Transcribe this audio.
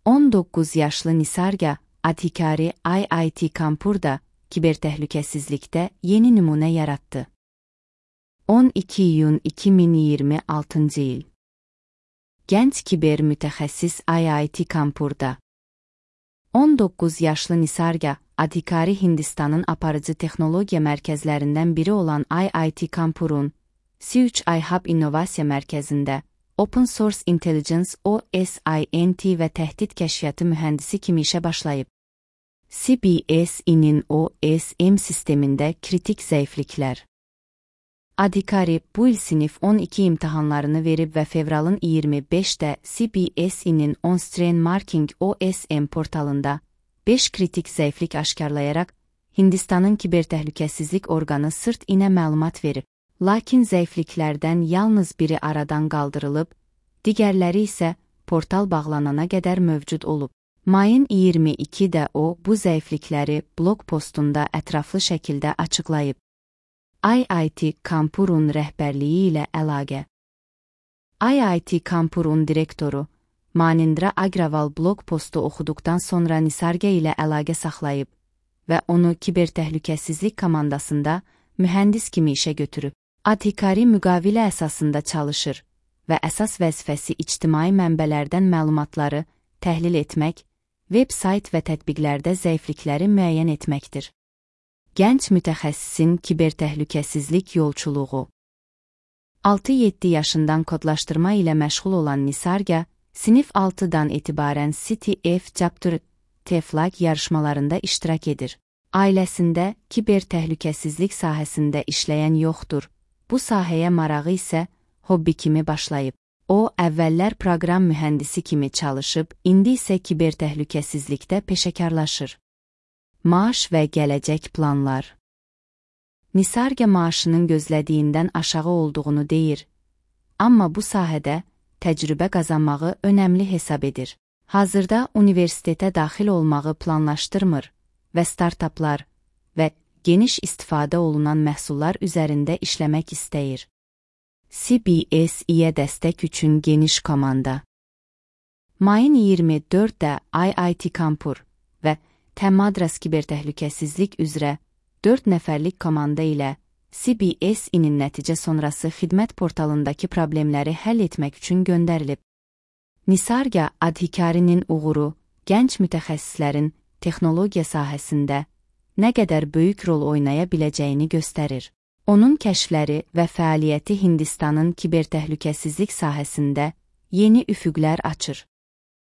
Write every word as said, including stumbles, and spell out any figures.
on doqquz yaşlı Nisarga Adhikari I I T Kanpur'da kibertəhlükəsizlikdə yeni nümunə yarattı. on iki iyun iki min iyirmi altıncı il. Gənc kiber mütəxəssis I I T Kanpur'da. on doqquz yaşlı Nisarga Adhikari Hindistanın aparıcı texnologiya mərkəzlərindən biri olan I I T Kanpur'un C üç I Hub İnnovasiya Mərkəzində Open Source Intelligence O S I N T və təhdid kəşfiyyatı mühəndisi kimi işə başlayıb. C B S I-nin O S M sistemində kritik zəifliklər. Adhikari bu il sinif on iki imtahanlarını verib və fevralın iyirmi beşində C B S I-nin On-Strain Marking O S M portalında beş kritik zəiflik aşkarlayaraq Hindistanın kibertəhlükəsizlik orqanı C I R T-inə məlumat verib. Lakin zəifliklərdən yalnız biri aradan qaldırılıb, digərləri isə portal bağlanana qədər mövcud olub. Mayın iyirmi ikidə o bu zəiflikləri blog postunda ətraflı şəkildə açıqlayıb. I I T Kanpur'un rəhbərliyi ilə əlaqə. I I T Kanpur'un direktoru Manindra Agrawal blog postu oxuduqdan sonra Nisarga ilə əlaqə saxlayıb və onu kibertəhlükəsizlik komandasında mühəndis kimi işə götürüb. Adhikari müqavilə əsasında çalışır və əsas vəzifəsi ictimai mənbələrdən məlumatları təhlil etmək, veb-sayt və tətbiqlərdə zəiflikləri müəyyən etməkdir. Gənc mütəxəssisin kibertəhlükəsizlik yolçuluğu. altı yeddi yaşından kodlaşdırma ilə məşğul olan Nisarga, sinif altıdan etibarən C T F Chapter T F L A G yarışmalarında iştirak edir. Ailəsində kibertəhlükəsizlik sahəsində işləyən yoxdur. Bu sahəyə marağı isə hobbi kimi başlayıb. O, əvvəllər proqram mühəndisi kimi çalışıb, indi isə kibertəhlükəsizlikdə peşəkarlaşır. Maaş və gələcək planlar. Nisarga maaşının gözlədiyindən aşağı olduğunu deyir, amma bu sahədə təcrübə qazanmağı önəmli hesab edir. Hazırda universitetə daxil olmağı planlaşdırmır və startaplar və geniş istifadə olunan məhsullar üzərində işləmək istəyir. C B S I-yə dəstək üçün geniş komanda. Mayın iyirmi dörddə I I T Kanpur və T Madras kibertəhlükəsizlik üzrə dörd nəfərlik komanda ilə C B S I-nin nəticə sonrası xidmət portalındakı problemləri həll etmək üçün göndərilib. Nisarga Adhikari'nin uğuru, gənc mütəxəssislərin texnologiya sahəsində nə qədər böyük rol oynaya biləcəyini göstərir. Onun kəşfləri və fəaliyyəti Hindistanın kibertəhlükəsizlik sahəsində yeni üfüqlər açır.